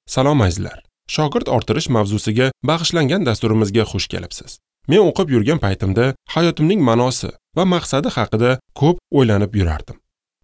Salom azizlar. Shogird orttirish mavzusiga bag'ishlangan dasturimizga xush kelibsiz. Men o'qib yurgan paytimda hayotimning ma'nosi va maqsadi haqida ko'p o'ylanib yurardim.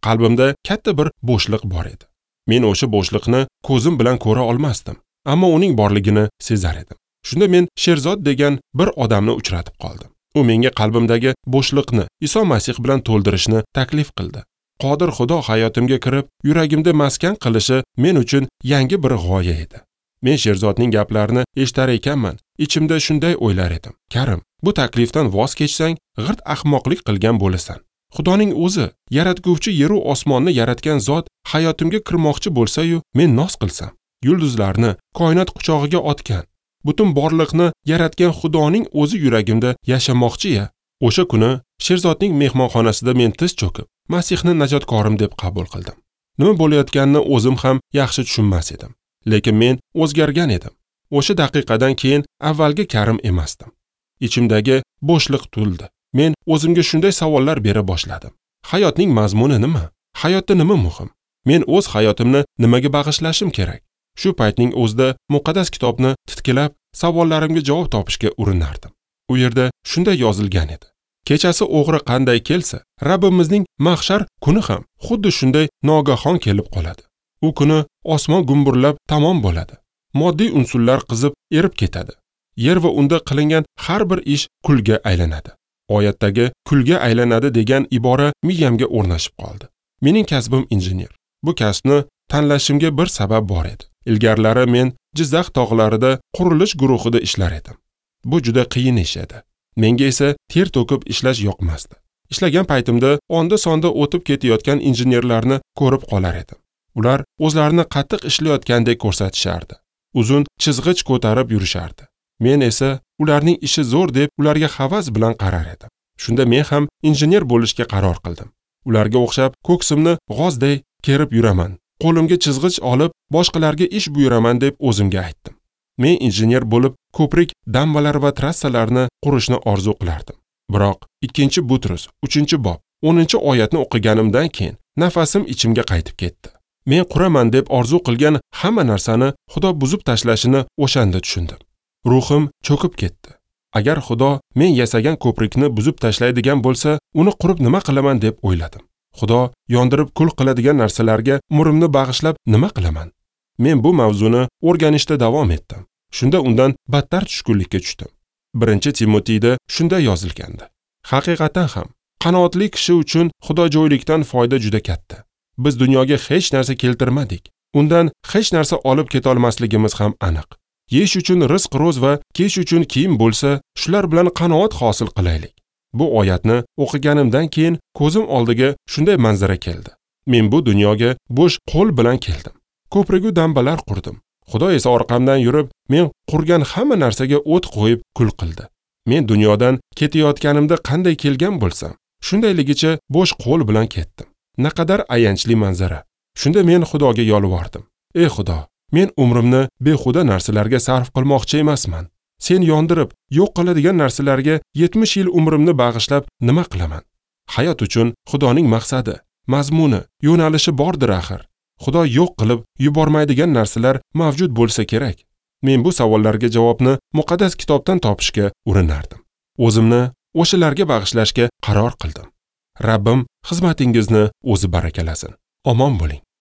Qalbimda katta bir bo'shliq bor edi. Men o'sha bo'shliqni ko'zim bilan ko'ra olmasdim, ammo uning borligini sezar edim. Shunda men Sherzod degan bir odamni uchratib qoldim. U menga qalbimdagi bo'shliqni Iso Masih bilan to'ldirishni taklif qildi. Qodir Xudo hayotimga kirib, yuragimda maskan qilishi men uchun yangi bir g'oya edi. Men Sherzodning gaplarini eshitar ekanman, ichimda shunday o'ylar edim. Karim, bu taklifdan voz kechsang, g'irt ahmoqlik qilgan bo'lasan. Xudoning o'zi, yaratguvchi yer u osmonni yaratgan zot hayotimga kirmoqchi bo'lsa-yu, men noz qilsam, yulduzlarni koinot quchog'iga otgan, butun borliqni yaratgan Xudoning o'zi yuragimda yashamoqchi-ya. O'sha kuni Sherzodning mehmonxonasida men tiz cho'kib, Masihni najotkorim deb qabul qildim. Nima bo'layotganini o'zim ham yaxshi tushunmas edim. Lekin men o'zgargan edim. O'sha daqiqadan keyin avvalgi Karim emasdim. Ichimdagi bo'shliq to'ldi. Men o'zimga shunday savollar bera boshladim. Hayotning mazmuni nima? Hayotda nima muhim? Men o'z hayotimni nimaga bag'ishlashim kerak? Shu paytning o'zida muqaddas kitobni titkilab, savollarimga javob topishga urinardim. U yerda shunday yozilgan edi. Kechasi o'g'ri qanday kelsa, Rabbimizning mahshar kuni ham xuddi shunday nogahon kelib qoladi. U kuni osmon gumburlab tamom bo'ladi. Moddiy unsurlar qizib erib ketadi. Yer va unda qilingan har bir ish kulga aylanadi. Oyatdagi kulga aylanadi degan ibora miyamga o'rnashib qoldi. Mening kasbim injener. Bu kasbni tanlashimga bir sabab bor edi. Ilgarilari men Jizzax tog'larida qurilish guruhida ishlar edim. Bu juda qiyin ish edi. Menga esa ter to'kib ishlash yoqmasdi. Ishlagan paytimda onda-sonda o'tib ketayotgan injenerlarni ko'rib qolar edim. Ular o'zlarini qattiq ishlayotgandek ko'rsatishardi. Uzun chizg'ich ko'tarib yurishardi. Men esa ularning ishi zo'r deb ularga havas bilan qarar edim. Shunda men ham injener bo'lishga qaror qildim. Ularga o'xshab ko'ksimni g'ozday kerib yuraman. Qo'limga chizg'ich olib boshqalarga ish buyuraman deb o'zimga aytdim. Men injener bo'lib ko'prik, dambalar va trassalarni qurishni orzu qilardim. Biroq 2 Butrus 3-bob 10-oyatni o'qiganimdan keyin nafasim ichimga qaytib ketdi. Men quraman deb orzu qilgan hamma narsani Xudo buzib tashlashini o'shanda tushundim. Ruhim cho'kib ketdi. Agar Xudo men yasagan ko'prikni buzib tashlaydigan bo'lsa, uni qurib nima qilaman deb o'yladim. Xudo yondirib kul qiladigan narsalarga umrimni bag'ishlab nima qilaman? Men bu mavzuni o'rganishda davom etdim. Shunda undan battar tushkunlikka tushdim. 1 Timotiyda shunday yozilgandi. Haqiqatan ham qanoatli kishi uchun xudojo'ylikdan foyda juda katta. Biz dunyoga hech narsa keltirmadik. Undan hech narsa olib ketolmasligimiz ham aniq. Yeyish uchun rizq ro'z va kiyish uchun kiyim bo'lsa, shular bilan qanoat hosil qilaylik. Bu oyatni o'qiganimdan keyin ko'zim oldiga shunday manzara keldi. Men bu dunyoga bo'sh qo'l bilan keldim. Ko'prigu dambalar qurdim. Xudo esa orqamdan yurib, men qurgan hamma narsaga o't qo'yib kul qildi. Men dunyodan ketayotganimda qanday kelgan bo'lsam, shundayligicha bo'sh qo'l bilan ketdim. Naqadar ayanchli manzara. Shunda men Xudoga yolvordim. Ey Xudo, men umrimni behuda narsalarga sarf qilmoqchi emasman. Sen yondirib, yo'q qiladigan narsalarga 70 yil umrimni bag'ishlab nima qilaman? Hayot uchun Xudoning maqsadi, mazmuni, yo'nalishi bordir axir. Xudo yo'q qilib yubormaydigan narsalar mavjud bo'lsa kerak. Men bu savollarga javobni muqaddas kitobdan topishga urinardim. O'zimni o'shalarga bag'ishlashga qaror qildim. Rabbim xizmatingizni o'zi barakalasin. Omon bo'ling.